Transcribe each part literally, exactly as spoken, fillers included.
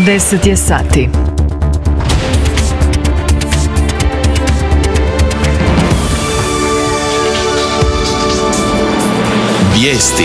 deset je sati. Vijesti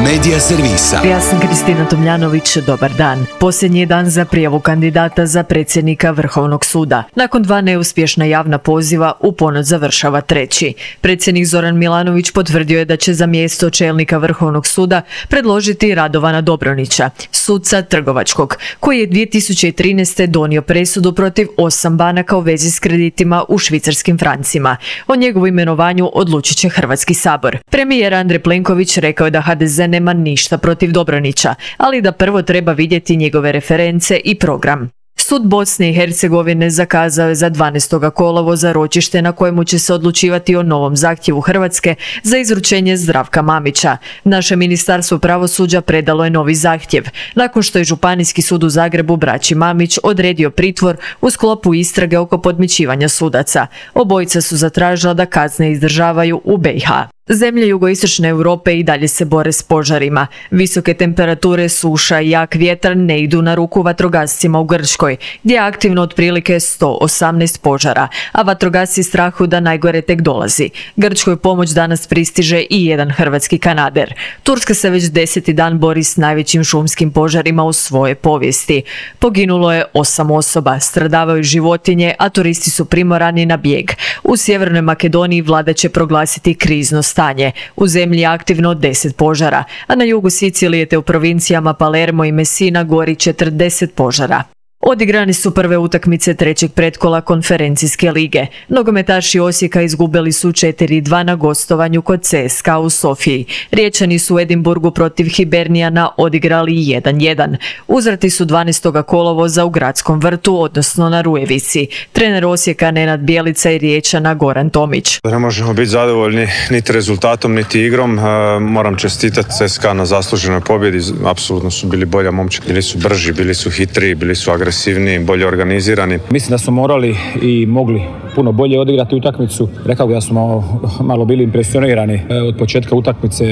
Medija servisa. Ja sam Kristina Tomljanović, dobar dan. Posljednji je dan za prijavu kandidata za predsjednika Vrhovnog suda. Nakon dva neuspješna javna poziva, u ponoć završava treći. Predsjednik Zoran Milanović potvrdio je da će za mjesto čelnika Vrhovnog suda predložiti Radovana Dobronića, suca trgovačkog, koji je dvije tisuće trinaeste. donio presudu protiv osam banaka u vezi s kreditima u švicarskim francima. O njegovu imenovanju odlučit će Hrvatski sabor. Premijer Andrej Plenković rekao je da ha de ze nema ništa protiv Dobronića, ali da prvo treba vidjeti njegove reference i program. Sud Bosne i Hercegovine zakazao je za dvanaestog kolovoza ročište na kojemu će se odlučivati o novom zahtjevu Hrvatske za izručenje Zdravka Mamića. Naše ministarstvo pravosuđa predalo je novi zahtjev, nakon što je Županijski sud u Zagrebu braći Mamić odredio pritvor u sklopu istrage oko podmićivanja sudaca. Obojica su zatražila da kazne izdržavaju u be i ha. Zemlje jugoistočne Europe i dalje se bore s požarima. Visoke temperature, suša i jak vjetar ne idu na ruku vatrogascima u Grčkoj, gdje je aktivno otprilike sto osamnaest požara, a vatrogasci strahuju da najgore tek dolazi. Grčkoj pomoć danas pristiže i jedan hrvatski kanader. Turska se već deseti dan bori s najvećim šumskim požarima u svojoj povijesti. Poginulo je osam osoba, stradavaju životinje, a turisti su primorani na bijeg. U Sjevernoj Makedoniji vlada će proglasiti krizno stanje. U zemlji je aktivno deset požara, a na jugu Sicilije te u provincijama Palermo i Messina gori četrdeset požara. Odigrani su prve utakmice trećeg pretkola konferencijske lige. Nogometaši Osijeka izgubili su četiri dva na gostovanju kod ce es ka a u Sofiji. Riječani su u Edinburgu protiv Hibernijana odigrali jedan jedan. Uzrati su dvanaestog kolovoza u Gradskom vrtu, odnosno na Rujevici. Trener Osijeka Nenad Bjelica i Riječana Goran Tomić. Ne možemo biti zadovoljni niti rezultatom, niti igrom. Moram čestitati ce es ka a na zasluženoj pobjedi. Apsolutno su bili bolja momčad. Bili su brži, bili su hitri, bili su agresivni. agresivniji, bolje organizirani. Mislim da smo morali i mogli puno bolje odigrati utakmicu. Rekao bih da smo malo, malo bili impresionirani od početka utakmice,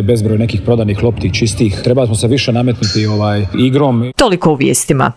bezbroj nekih prodanih lopti, čistih. Trebali smo se više nametnuti ovaj igrom. Toliko u vijestima.